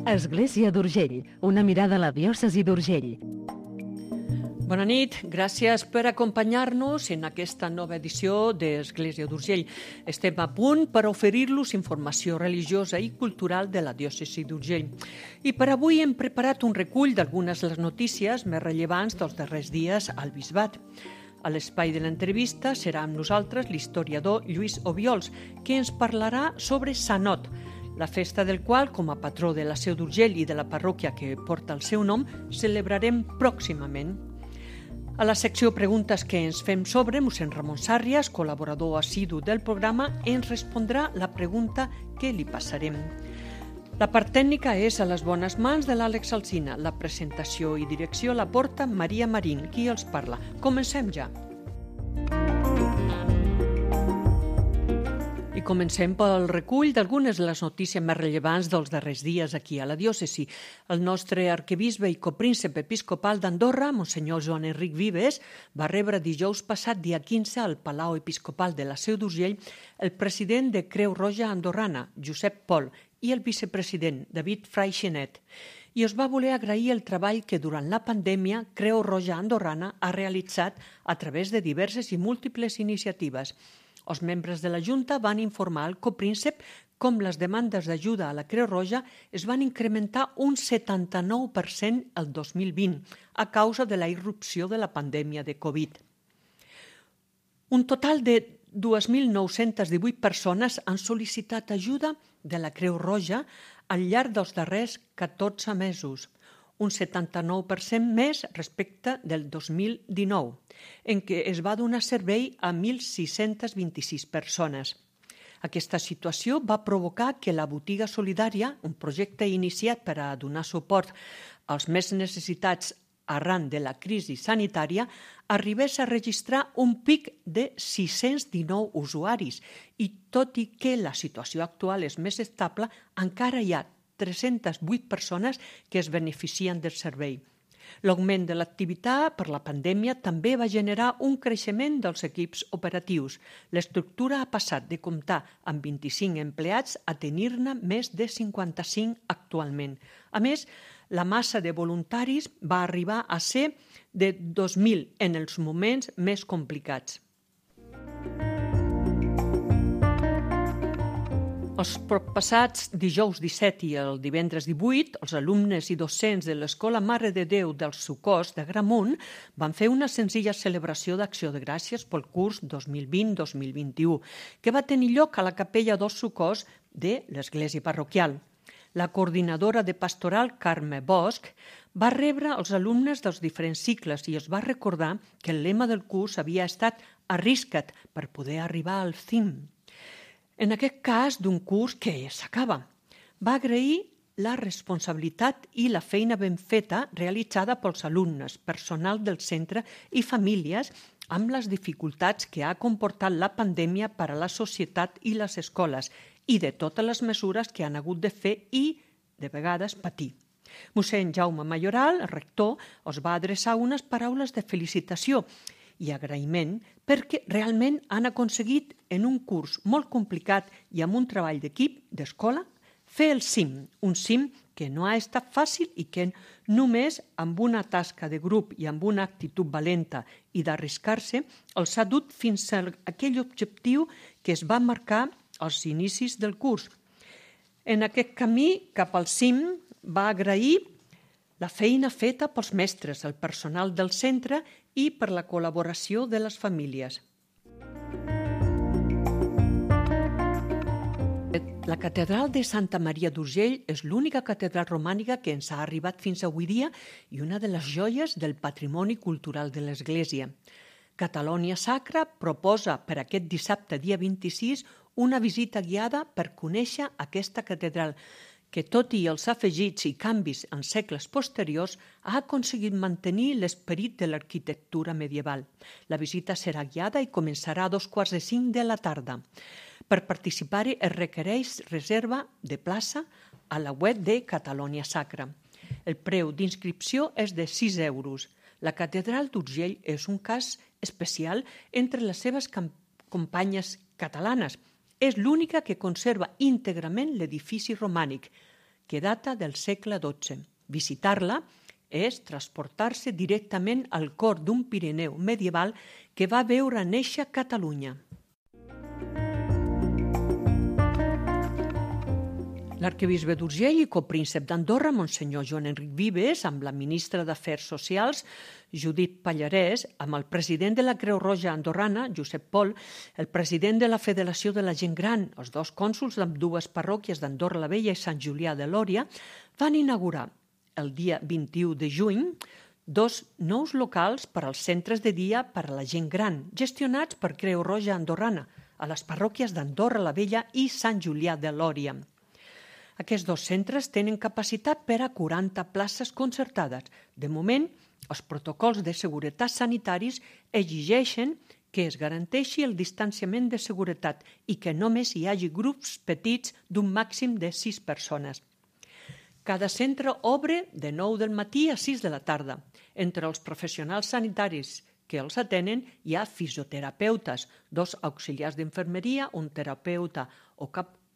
Església d'Urgell, una mirada a la diòcesi d'Urgell. Bona nit, gràcies per acompanyar-nos en aquesta nova edició d'Església d'Urgell. Estem a punt per oferir-los informació religiosa i cultural de la diòcesi d'Urgell. I per avui hem preparat un recull d'algunes de les notícies més rellevants dels darrers dies al bisbat. A l'espai de l'entrevista serà amb nosaltres l'historiador Lluís Obiols, que ens parlarà sobre Sanot, la festa del qual, com a patró de la Seu d'Urgell i de la parròquia que porta el seu nom, celebrarem pròximament. A la secció Preguntes que ens fem sobre, mossèn Ramon Sàrrias, col·laborador assidu del programa, ens respondrà la pregunta que li passarem. La part tècnica és a les bones mans de l'Àlex Alsina. La presentació i direcció la porta Maria Marín, qui els parla. Comencem ja. I comencem pel recull d'algunes de les notícies més rellevants dels darrers dies aquí a la diòcesi. El nostre arquebisbe i copríncep episcopal d'Andorra, monsenyor Joan Enric Vives, va rebre dijous passat, dia 15, al Palau Episcopal de la Seu d'Urgell, el president de Creu Roja Andorrana, Josep Pol, i el vicepresident, David Freixenet. I us va voler agrair el treball que durant la pandèmia Creu Roja Andorrana ha realitzat a través de diverses i múltiples iniciatives. Els membres de la Junta van informar al copríncep com les demandes d'ajuda a la Creu Roja es van incrementar un 79% el 2020 a causa de la irrupció de la pandèmia de Covid. Un total de 2.918 persones han sol·licitat ajuda de la Creu Roja al llarg dels darrers 14 mesos, un 79% més respecte del 2019, en què es va donar servei a 1.626 persones. Aquesta situació va provocar que la Botiga Solidària, un projecte iniciat per a donar suport als més necessitats arran de la crisi sanitària, arribés a registrar un pic de 619 usuaris i, tot i que la situació actual és més estable, encara hi ha 308 persones que es beneficien del servei. L'augment de l'activitat per la pandèmia també va generar un creixement dels equips operatius. L'estructura ha passat de comptar amb 25 empleats a tenir-ne més de 55 actualment. A més, la massa de voluntaris va arribar a ser de 2.000 en els moments més complicats. Els proppassats dijous 17 i el divendres 18, els alumnes i docents de l'Escola Mare de Déu dels Socors de Gramunt van fer una senzilla celebració d'acció de gràcies pel curs 2020-2021, que va tenir lloc a la capella dels Socors de l'església parroquial. La coordinadora de pastoral, Carme Bosch, va rebre els alumnes dels diferents cicles i es va recordar que el lema del curs havia estat «Arrisca't per poder arribar al cim». En aquest cas, d'un curs que s'acaba. Va agrair la responsabilitat i la feina ben feta realitzada pels alumnes, personal del centre i famílies amb les dificultats que ha comportat la pandèmia per a la societat i les escoles i de totes les mesures que han hagut de fer i, de vegades, patir. Mossèn Jaume Mayoral, el rector, els va adreçar unes paraules de felicitació i agraïment perquè realment han aconseguit en un curs molt complicat i amb un treball d'equip, d'escola, fer el cim, un cim que no ha estat fàcil i que només amb una tasca de grup i amb una actitud valenta i d'arriscar-se els ha dut fins a aquell objectiu que es va marcar als inicis del curs. En aquest camí cap al cim va agrair la feina feta pels mestres, el personal del centre i per la col·laboració de les famílies. La catedral de Santa Maria d'Urgell és l'única catedral romànica que ens ha arribat fins avui dia i una de les joies del patrimoni cultural de l'Església. Catalònia Sacra proposa per aquest dissabte, dia 26, una visita guiada per conèixer aquesta catedral, que tot i els afegits i canvis en segles posteriors ha aconseguit mantenir l'esperit de l'arquitectura medieval. La visita serà guiada i començarà a 15:45 de la tarda. Per participar-hi es requereix reserva de plaça a la web de Catalònia Sacra. El preu d'inscripció és de 6 euros. La catedral d'Urgell és un cas especial entre les seves companyes catalanes. És l'única que conserva íntegrament l'edifici romànic, que data del segle XII. Visitar-la és transportar-se directament al cor d'un Pirineu medieval que va veure néixer Catalunya. L'arquebisbe d'Urgell i copríncep d'Andorra, Monsenyor Joan Enric Vives, amb la ministra d'Afers Socials, Judit Pallarès, amb el president de la Creu Roja andorrana, Josep Pol, el president de la Federació de la Gent Gran, els dos cònsols d'ambdues parròquies d'Andorra la Vella i Sant Julià de Lòria, van inaugurar el dia 21 de juny 2 nous locals per als centres de dia per a la gent gran, gestionats per Creu Roja andorrana, a les parròquies d'Andorra la Vella i Sant Julià de Lòria. Aquests dos centres tenen capacitat per a 40 places concertades. De moment, els protocols de seguretat sanitaris exigeixen que es garanteixi el distanciament de seguretat i que només hi hagi grups petits d'un màxim de 6 persones. Cada centre obre de 9 del matí a 6 de la tarda. Entre els professionals sanitaris que els atenen hi ha fisioterapeutes, 2 auxiliars d'infermeria, un terapeuta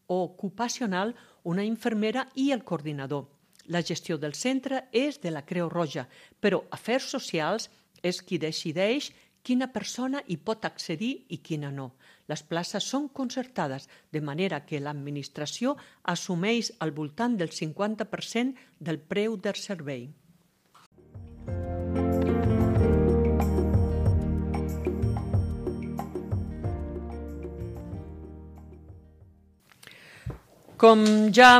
ocupacional, una infermera i el coordinador. La gestió del centre és de la Creu Roja, però Afers Socials és qui decideix quina persona hi pot accedir i quina no. Les places són concertades, de manera que l'administració assumeix al voltant del 50% del preu del servei. Com ja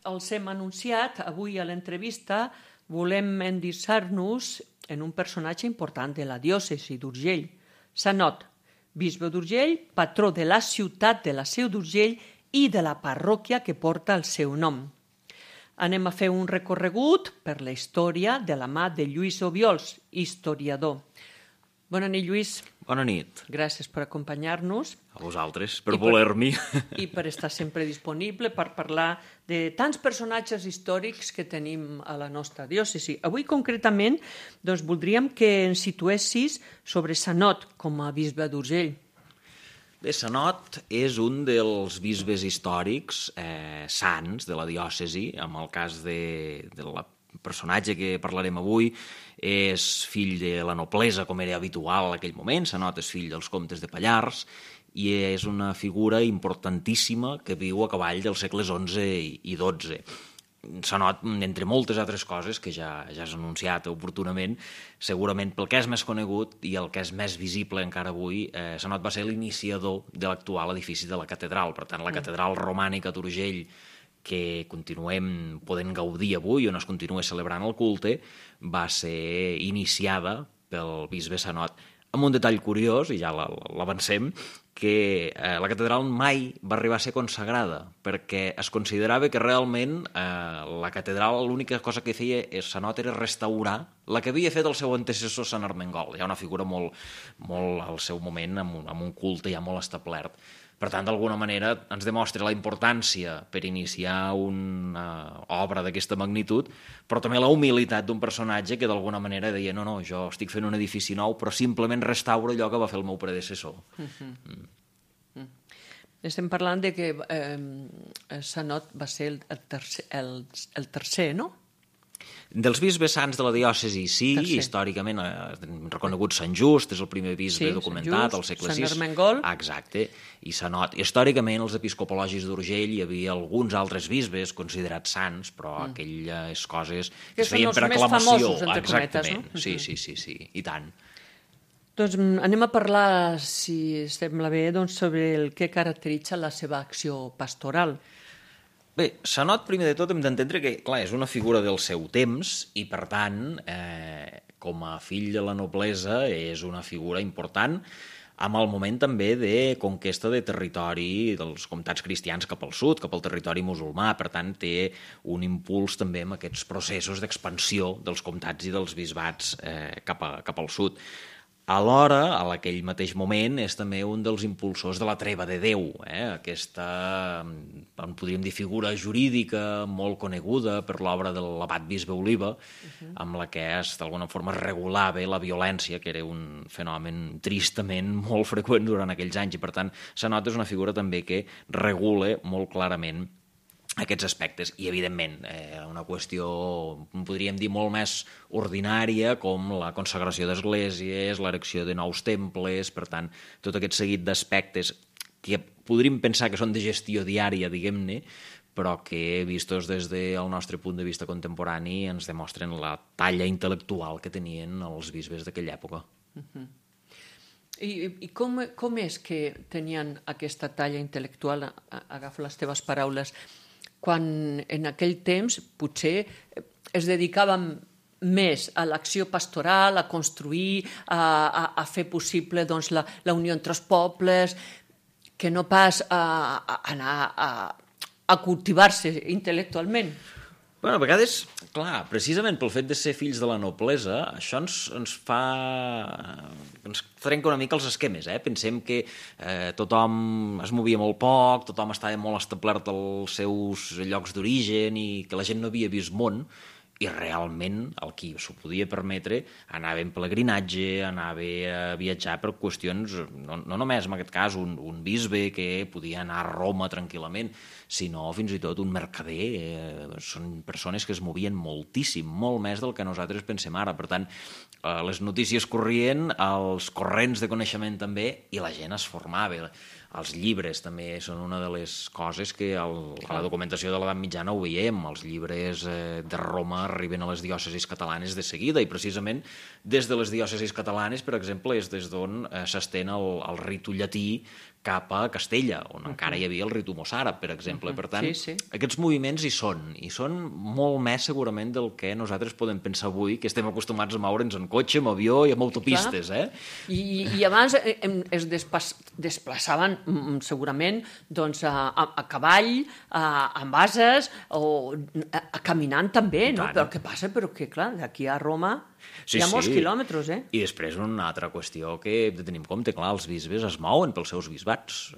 els hem anunciat, avui a l'entrevista volem endinsar-nos en un personatge important de la diòcesi d'Urgell, Sanot, bisbe d'Urgell, patró de la ciutat de la Seu d'Urgell i de la parròquia que porta el seu nom. Anem a fer un recorregut per la història de la mà de Lluís Obiols, historiador. Bona nit, Lluís. Bona nit. Gràcies per acompanyar-nos. A vosaltres, per voler-m'hi. I per estar sempre disponible per parlar de tants personatges històrics que tenim a la nostra diòcesi. Avui, concretament, voldríem que ens situessis sobre Sanot com a bisbe d'Urgell. Bé, Sanot és un dels bisbes històrics sants de la diòcesi, en el cas de la personatge que parlarem avui és fill de la noblesa, com era habitual en aquell moment. Sanot és fill dels comtes de Pallars i és una figura importantíssima que viu a cavall dels segles XI i XII. Sanot, entre moltes altres coses que ja has anunciat oportunament, segurament pel que és més conegut i el que és més visible encara avui, Sanot va ser l'iniciador de l'actual edifici de la catedral. Per tant, la catedral romànica d'Urgell, que continuem podent gaudir avui, on es continua celebrant el culte, va ser iniciada pel bisbe Sanot. Amb un detall curiós, i ja l'avancem, que la catedral mai va arribar a ser consagrada, perquè es considerava que realment la catedral l'única cosa que feia Sanot era restaurar la que havia fet el seu antecessor Sant Ermengol, ja una figura molt al seu moment, amb un culte ja molt establert. Per tant, d'alguna manera, ens demostra la importància per iniciar una obra d'aquesta magnitud, però també la humilitat d'un personatge que d'alguna manera deia no, jo estic fent un edifici nou, però simplement restauro allò que va fer el meu predecessor. Estem parlant de que Sanot va ser el tercer, no? Dels bisbes sants de la diòcesi, sí, històricament reconegut Sant Just, és el primer bisbe documentat al segle VI. Sant Ermengol. Exacte, i Sanot. Històricament, els episcopologis d'Urgell hi havia alguns altres bisbes considerats sants, però aquelles coses que es feien per aclamació. Que són els més famosos, entre cometes, no? Sí, i tant. Doncs anem a parlar, si sembla bé, sobre el que caracteritza la seva acció pastoral. Bé, Sanot, primer de tot, hem d'entendre que, clar, és una figura del seu temps i, per tant, com a fill de la noblesa, és una figura important amb el moment també de conquesta de territori dels comtats cristians cap al sud, cap al territori musulmà. Per tant, té un impuls també amb aquests processos d'expansió dels comtats i dels bisbats cap al sud. Alhora, a aquell mateix moment, és també un dels impulsors de la treva de Déu, aquesta, en podríem dir, figura jurídica molt coneguda per l'obra de l'abat bisbe Oliva, amb la que d'alguna forma regulava la violència, que era un fenomen tristament molt freqüent durant aquells anys, i per tant, Sanot és una figura també que regula molt clarament aquests aspectes. I, evidentment, una qüestió, podríem dir, molt més ordinària, com la consagració d'esglésies, l'erecció de nous temples, per tant, tot aquest seguit d'aspectes que podríem pensar que són de gestió diària, diguem-ne, però que, vistos des del nostre punt de vista contemporani, ens demostren la talla intel·lectual que tenien els bisbes d'aquella època. I com és que tenien aquesta talla intel·lectual? Agafo les teves paraules. Quan en aquell temps potser es dedicaven més a l'acció pastoral, a construir, a fer possible doncs, la unió entre els pobles, que no pas a anar a cultivar-se intel·lectualment. Bueno, a vegades, clar, precisament pel fet de ser fills de la noblesa, això ens fa... ens trenca una mica els esquemes, Pensem que tothom es movia molt poc, tothom estava molt establert als seus llocs d'origen i que la gent no havia vist món, i realment el qui s'ho podia permetre anava en pelegrinatge, anava a viatjar per qüestions, no només en aquest cas un bisbe que podia anar a Roma tranquil·lament, sinó fins i tot un mercader. Són persones que es movien moltíssim, molt més del que nosaltres pensem ara. Per tant, les notícies corrien, els corrents de coneixement també, i la gent es formava. Els llibres també són una de les coses que a la documentació de l'edat mitjana ho veiem. Els llibres de Roma arriben a les diòcesis catalanes de seguida, i precisament des de les diòcesis catalanes, per exemple, és des d'on s'estén el ritu llatí cap a Castella, on encara hi havia el ritu mossàrab, per exemple. Per tant, aquests moviments hi són molt més segurament del que nosaltres podem pensar avui, que estem acostumats a moure'ns en cotxe, en avió i en autopistes. I abans es desplaçaven segurament doncs, a cavall, amb ases, o caminant també, no? Però què passa? Però que, clar, d'aquí a Roma hi ha molts quilòmetres, I després una altra qüestió que hem de tenir en compte, clar, els bisbes es mouen pels seus bisbats,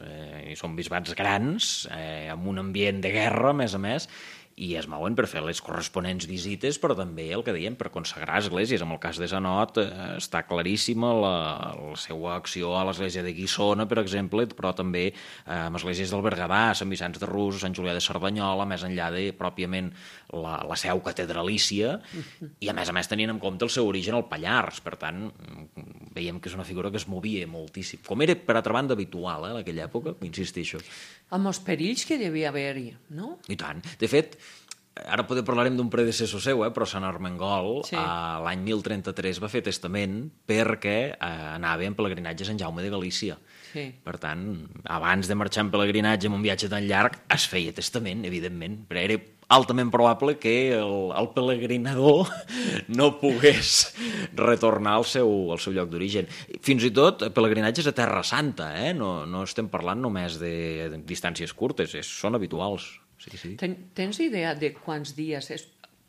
i són bisbats grans, amb un ambient de guerra, a més, i es mouen per fer les corresponents visites, però també el que dèiem, per consagrar esglésies. En el cas de Sanot està claríssima la seva acció a l'església de Guissona, per exemple, però també amb esglésies del Berguedà, Sant Vicenç de Rus, Sant Julià de Cerdanyola, més enllà de pròpiament la seu catedralícia, i a més tenint en compte el seu origen al Pallars. Per tant, veiem que és una figura que es movia moltíssim, com era, per altra banda, habitual en aquella època, insisteixo. Amb els perills que devia haver-hi, no? I tant. De fet, ara parlarem d'un predecessor seu, però Sant Armengol, l'any 1033 va fer testament perquè anava en pelegrinatge a Sant Jaume de Galícia. Per tant, abans de marxar en pelegrinatge en un viatge tan llarg, es feia testament, evidentment, però era altament probable que el pelegrinador no pogués retornar al seu lloc d'origen. Fins i tot pelegrinatges a Terra Santa, no estem parlant només de distàncies curtes, són habituals. Sí. Tens idea de quants dies,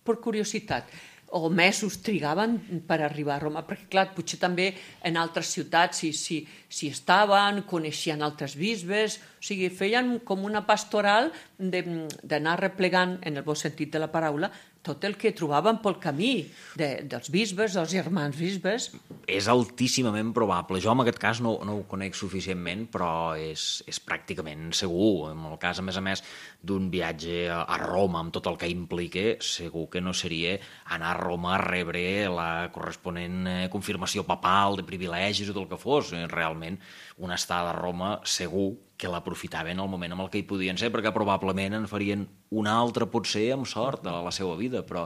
per curiositat, o mesos trigaven per arribar a Roma? Perquè, clar, potser també en altres ciutats si estaven, coneixien altres bisbes, o sigui, feien com una pastoral d'anar replegant, en el bon sentit de la paraula, tot el que trobaven pel camí dels bisbes, dels germans bisbes. És altíssimament probable. Jo en aquest cas no ho conec suficientment, però és pràcticament segur. En el cas, a més, d'un viatge a Roma, amb tot el que implica, segur que no seria anar a Roma a rebre la corresponent confirmació papal de privilegis o del que fos. Realment, una estada a Roma segur que l'aprofitaven al moment en el que hi podien ser, perquè probablement en farien una altra, potser, amb sort, a la seva vida, però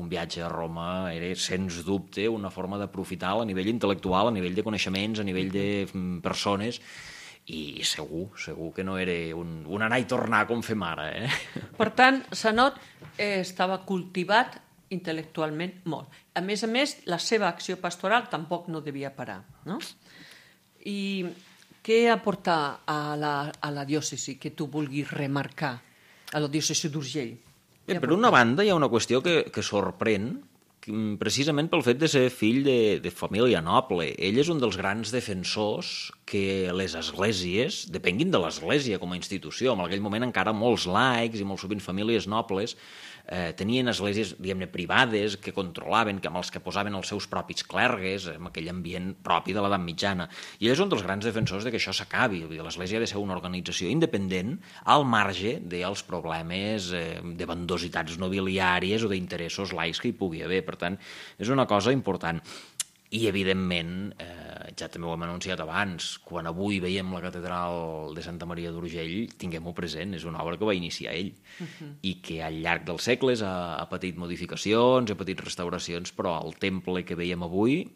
un viatge a Roma era, sens dubte, una forma d'aprofitar a nivell intel·lectual, a nivell de coneixements, a nivell de persones, i segur que no era un anar i tornar com fem ara. Per tant, Sanot estava cultivat intel·lectualment molt. A més, la seva acció pastoral tampoc no devia parar, no? I què aporta a la diòcesi que tu vulguis remarcar, a la diòcesi d'Urgell? Per una banda, hi ha una qüestió que sorprèn, precisament pel fet de ser fill de família noble. Ell és un dels grans defensors que les esglésies depenguin de l'església com a institució. En aquell moment encara molts laics i molt sovint famílies nobles tenien esglésies, diguem-ne, privades, que controlaven, amb els que posaven els seus propis clergues, amb aquell ambient propi de l'edat mitjana. I ell és un dels grans defensors de que això s'acabi. L'església ha de ser una organització independent al marge dels problemes de bandositats nobiliàries o d'interessos laics que hi pugui haver. Per tant, és una cosa important. I, evidentment, ja també ho hem anunciat abans, quan avui veiem la catedral de Santa Maria d'Urgell, tinguem-ho present, és una obra que va iniciar ell i que al llarg dels segles ha patit modificacions, ha patit restauracions, però el temple que veiem avui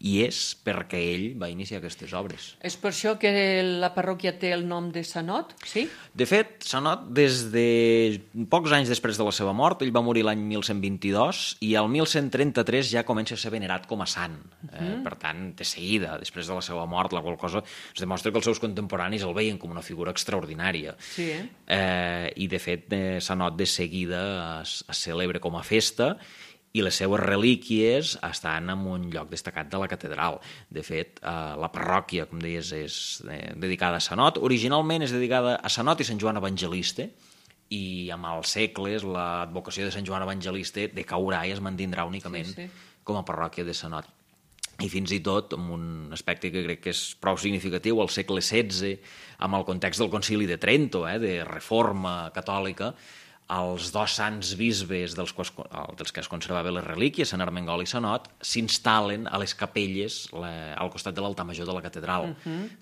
hi és perquè ell va iniciar aquestes obres. És per això que la parròquia té el nom de Sanot, sí? De fet, Sanot, des de pocs anys després de la seva mort, ell va morir l'any 1122 i al 1133 ja comença a ser venerat com a sant. Per tant, de seguida, després de la seva mort, la qual cosa es demostra que els seus contemporanis el veien com una figura extraordinària. Sí, I, de fet, Sanot de seguida es celebra com a festa i les seues relíquies estan en un lloc destacat de la catedral. De fet, la parròquia, com deies, és dedicada a Sanot. Originalment és dedicada a Sanot i Sant Joan Evangelista, i amb els segles l'advocació de Sant Joan Evangelista decaurà i es mantindrà únicament com a parròquia de Sanot. I fins i tot, amb un aspecte que crec que és prou significatiu, al segle XVI, amb el context del Concili de Trento, de reforma catòlica, els dos sants bisbes dels que es conservaven les relíquies, Sant Ermengol i Sanot, s'instal·len a les capelles al costat de l'altar major de la catedral,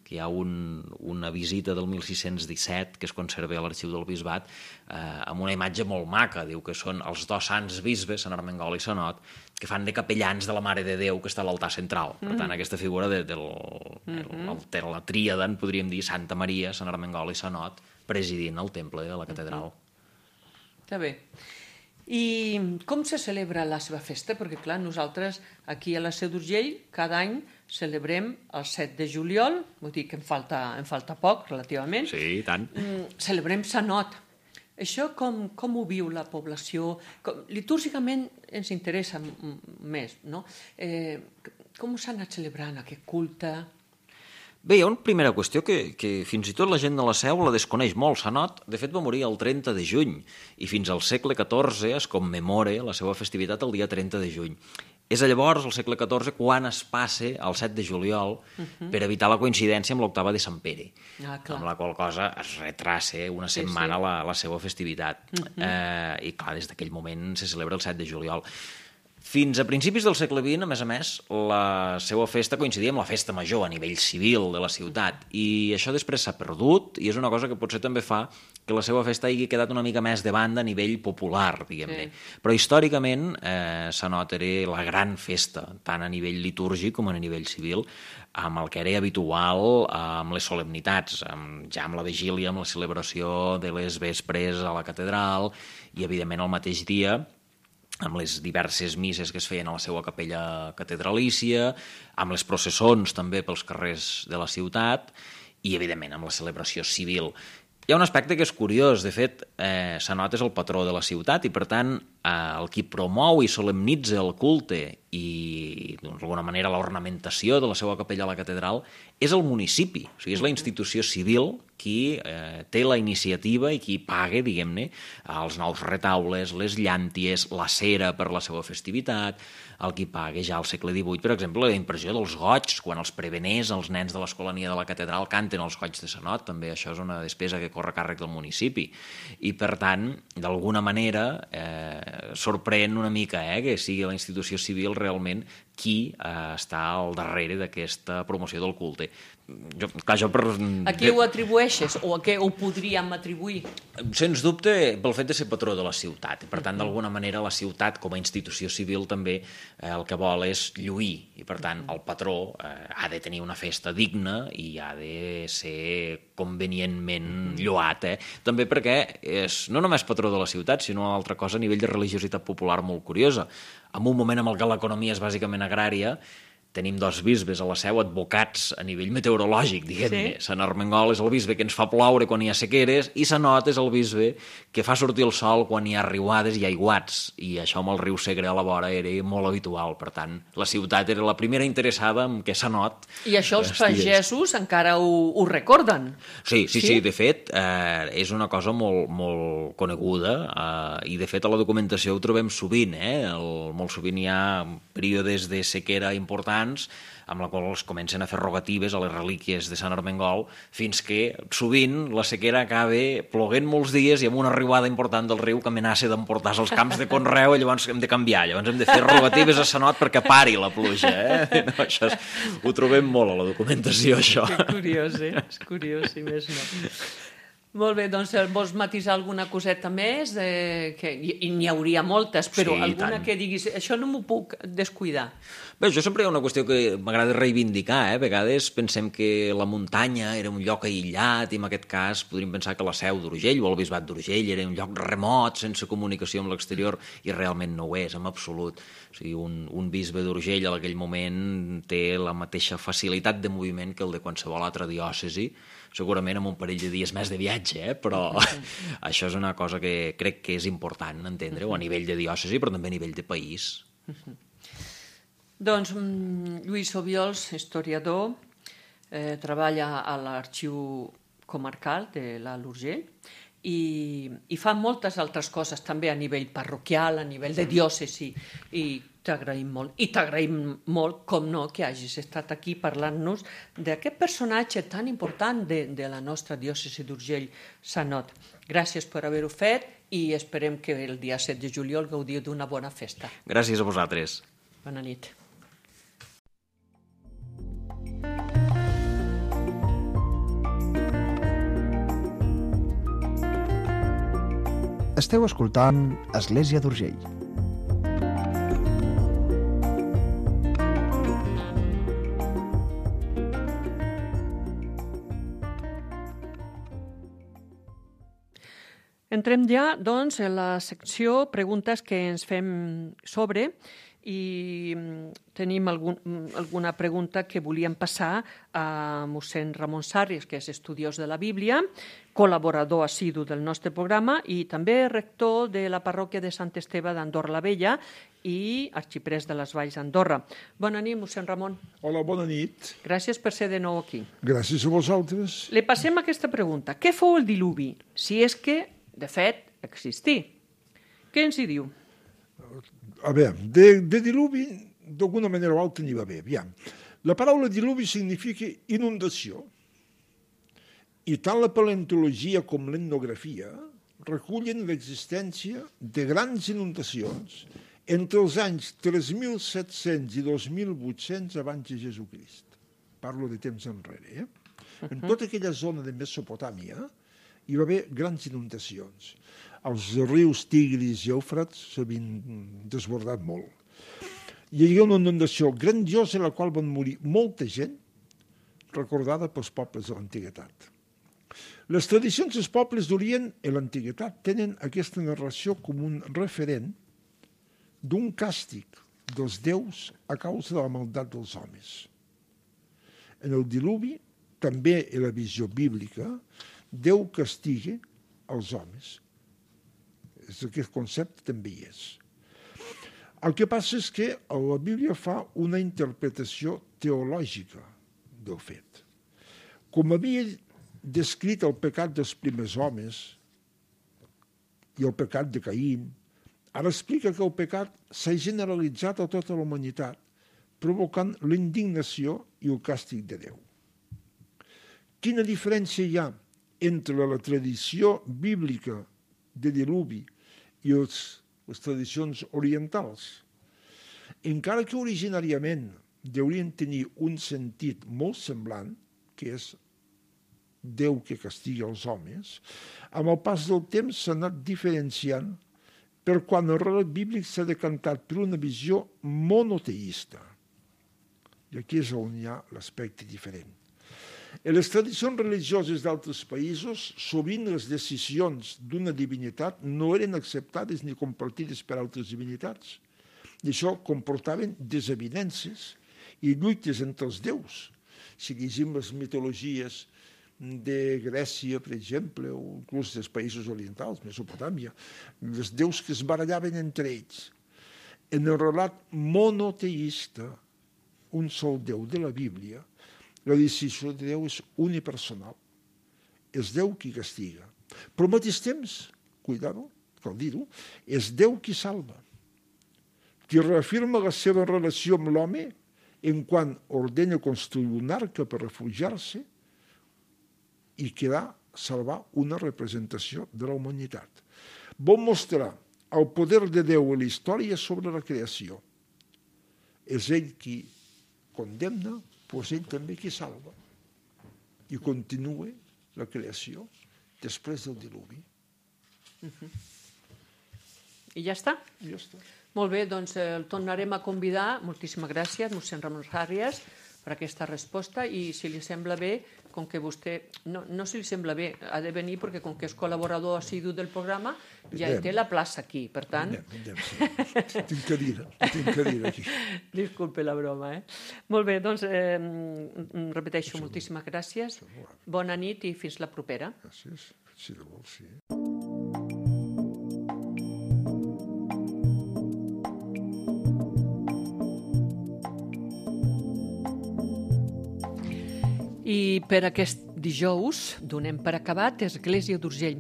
que hi ha una visita del 1617 que es conserva a l'arxiu del bisbat amb una imatge molt maca. Diu que són els dos sants bisbes, Sant Ermengol i Sanot, que fan de capellans de la Mare de Déu que està a l'altar central. Per tant, aquesta figura de la tríada, en podríem dir, Santa Maria, Sant Ermengol i Sanot, presidint el temple de la catedral. Està bé. I com se celebra la seva festa? Perquè, clar, nosaltres aquí a la Seu d'Urgell cada any celebrem el 7 de juliol, vull dir que em falta poc, relativament. Sí, i tant. Celebrem Sanot. Això com ho viu la població? Litúrgicament ens interessa més, no? Com s'ha anat celebrant aquest culte? Bé, hi ha una primera qüestió que fins i tot la gent de la Seu la desconeix molt. Sanot, de fet, va morir el 30 de juny i fins al segle XIV es commemora la seva festivitat el dia 30 de juny. És llavors, al segle XIV, quan es passa al 7 de juliol per evitar la coincidència amb l'octava de Sant Pere, amb la qual cosa es retrassa una setmana la seva festivitat. I, clar, des d'aquell moment se celebra el 7 de juliol. Fins a principis del segle XX, a més, la seva festa coincidia amb la festa major a nivell civil de la ciutat, i això després s'ha perdut, i és una cosa que potser també fa que la seva festa hagi quedat una mica més de banda a nivell popular, diguem-ne. Però històricament Sanot era la gran festa, tant a nivell litúrgic com a nivell civil, amb el que era habitual amb les solemnitats, ja amb la vigília, amb la celebració de les vespres a la catedral, i evidentment el mateix dia amb les diverses misses que es feien a la seva capella catedralícia, amb les processons també pels carrers de la ciutat i, evidentment, amb la celebració civil. Hi ha un aspecte que és curiós. De fet, Sanot és el patró de la ciutat i, per tant, el qui promou i solemnitza el culte i, d'alguna manera, l'ornamentació de la seva capella a la catedral és el municipi. O sigui, és la institució civil qui té la iniciativa i qui paga, diguem-ne, els nous retaules, les llànties, la cera per la seva festivitat, el qui paga ja al segle XVIII, per exemple, la impressió dels goigs, quan els preveners, els nens de l'escolania de la catedral, canten els goigs de Sanot, també això és una despesa que corre a càrrec del municipi. I, per tant, d'alguna manera, sorprèn una mica que sigui la institució civil realment qui està al darrere d'aquesta promoció del culte. A què ho atribueixes o a què ho podríem atribuir? Sens dubte pel fet de ser patró de la ciutat. Per tant, d'alguna manera, la ciutat com a institució civil també el que vol és lluir. I, per tant, el patró ha de tenir una festa digna i ha de ser convenientment lloat. També perquè és no només patró de la ciutat, sinó una altra cosa a nivell de religiositat popular molt curiosa. En un moment en què l'economia és bàsicament agrària, tenim dos bisbes a la Seu advocats a nivell meteorològic, diguem-ne. Sí. Sant Armengol és el bisbe que ens fa ploure quan hi ha sequeres i Sant Not és el bisbe que fa sortir el sol quan hi ha riuades i aiguats, i això amb el riu Segre a la vora era molt habitual. Per tant, la ciutat era la primera interessada en què Sant Not I això els pagesos encara ho recorden. Sí, de fet, és una cosa molt coneguda i de fet a la documentació ho trobem sovint, molt sovint hi ha períodes de sequera importants amb la qual es comencen a fer rogatives a les relíquies de Sant Armengol, fins que sovint la sequera acaba ploguent molts dies i amb una riuada important del riu que amenaça d'emportar-se els camps de conreu, i llavors hem de canviar, llavors hem de fer rogatives a Sant Not perquè pari la pluja. No, això ho trobem molt a la documentació, això. Que curiós, és curiós, si més no. Molt bé, doncs vols matisar alguna coseta més? I n'hi hauria moltes, però Sí, alguna tant. que diguis, això no m'ho puc descuidar. Bé, jo sempre hi ha una qüestió que m'agrada reivindicar. A vegades pensem que la muntanya era un lloc aïllat i en aquest cas podríem pensar que la Seu d'Urgell o el Bisbat d'Urgell era un lloc remot, sense comunicació amb l'exterior, i realment no ho és, en absolut. O sigui, un bisbe d'Urgell en aquell moment té la mateixa facilitat de moviment que el de qualsevol altra diòcesi, segurament amb un parell de dies més de viatge, però això és una cosa que crec que és important entendre-ho a nivell de diòcesi, però també a nivell de país. Doncs Lluís Obiols, historiador, treballa a l'Arxiu Comarcal de l'Alt Urgell i fa moltes altres coses també a nivell parroquial, a nivell de diòcesi, i t'agraïm molt. I t'agraïm molt, com no, que hagis estat aquí parlant-nos d'aquest personatge tan important de la nostra diòcesi d'Urgell, Sant Not. Gràcies per haver-ho fet i esperem que el dia 7 de juliol gaudiu d'una bona festa. Gràcies a vosaltres. Bona nit. Esteu escoltant Església d'Urgell. Entrem ja, doncs, en la secció preguntes que ens fem sobre, i tenim alguna pregunta que volíem passar a mossèn Ramon Sarris, que és estudiós de la Bíblia, col·laborador assidu del nostre programa i també rector de la parròquia de Sant Esteve d'Andorra la Vella i arxiprès de les Valls d'Andorra. Bona nit, mossèn Ramon. Hola, bona nit. Gràcies per ser de nou aquí. Gràcies a vosaltres. Le passem aquesta pregunta. Què fou el diluvi, si és que, de fet, existí? Què ens hi diu? A veure, de diluvi, d'alguna manera o altra n'hi va haver. Aviam. La paraula diluvi significa inundació. I tant la paleontologia com l'etnografia recullen l'existència de grans inundacions entre els anys 3.700 i 2.800 abans de Jesucrist. Parlo de temps enrere. En tota aquella zona de Mesopotàmia hi va haver grans inundacions. Els rius Tigris i Eufrates s'havien desbordat molt. Hi havia una inundació grandiosa en la qual van morir molta gent, recordada pels pobles de l'antiguitat. Les tradicions dels pobles d'Orient i l'antiguitat tenen aquesta narració com un referent d'un càstig dels déus a causa de la maldat dels homes. En el diluvi, també en la visió bíblica, Déu castiga els homes. Aquest concepte també hi és. El que passa és que la Bíblia fa una interpretació teològica del fet. Com havia descrit el pecat dels primers homes i el pecat de Caín, ara explica que el pecat s'ha generalitzat a tota la humanitat, provocant l'indignació i el càstig de Déu. Quina diferència hi ha entre la tradició bíblica de diluvi i les tradicions orientals? Encara que originàriament deurien tenir un sentit molt semblant, que és Déu que castiga els homes, amb el pas del temps s'ha anat diferenciant per quan el relat bíblic s'ha decantat per una visió monoteista. I aquí és on hi ha l'aspecte diferent. En les tradicions religioses d'altres països, sovint les decisions d'una divinitat no eren acceptades ni compartides per altres divinitats. I això comportaven desavinences i lluites entre els déus. Si llegim les mitologies de Grècia, per exemple, o inclús dels països orientals, Mesopotàmia, els déus que es barallaven entre ells. En el relat monoteista, un sol Déu de la Bíblia, la decisió de Déu és unipersonal. És Déu qui castiga. Però al mateix temps, cuidado, cal dir-ho, és Déu qui salva, qui reafirma la seva relació amb l'home en quan ordena construir un arca per refugiar-se i salvar una representació de la humanitat. Vol mostrar el poder de Déu en la història sobre la creació. És ell qui condemna, però és ell també qui salva. I continua la creació després del diluvi. I ja està? I ja està. Molt bé, doncs el tornarem a convidar. Moltíssimes gràcies, mossèn Ramon Àrias, per aquesta resposta, i si li sembla bé, com que vostè, no si li sembla bé, ha de venir perquè com que és col·laborador assidu del programa, ja té la plaça aquí, per tant... Sí. Tinc cadira aquí. Disculpe la broma, Molt bé, doncs repeteixo, moltíssimes gràcies, bona nit i fins la propera. Gràcies, si de vols, sí. I per aquest dijous donem per acabat Església d'Urgell.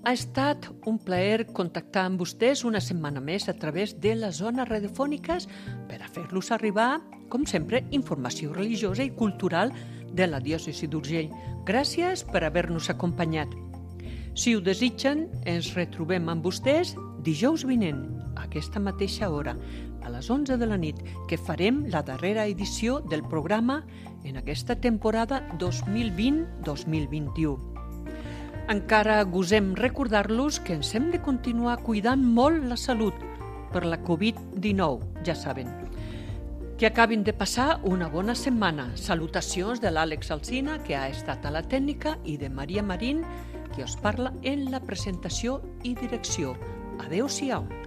Ha estat un plaer contactar amb vostès una setmana més a través de les zones radiofòniques per a fer-los arribar, com sempre, informació religiosa i cultural de la diòcesi d'Urgell. Gràcies per haver-nos acompanyat. Si ho desitgen, ens retrobem amb vostès dijous vinent, a aquesta mateixa hora, a les 11 de la nit, que farem la darrera edició del programa en aquesta temporada 2020-2021. Encara gosem recordar-los que ens hem de continuar cuidant molt la salut per la Covid-19, ja saben. Que acabin de passar una bona setmana. Salutacions de l'Àlex Alsina, que ha estat a la tècnica, i de Maria Marín, que us parla en la presentació i direcció. Adéu-siau.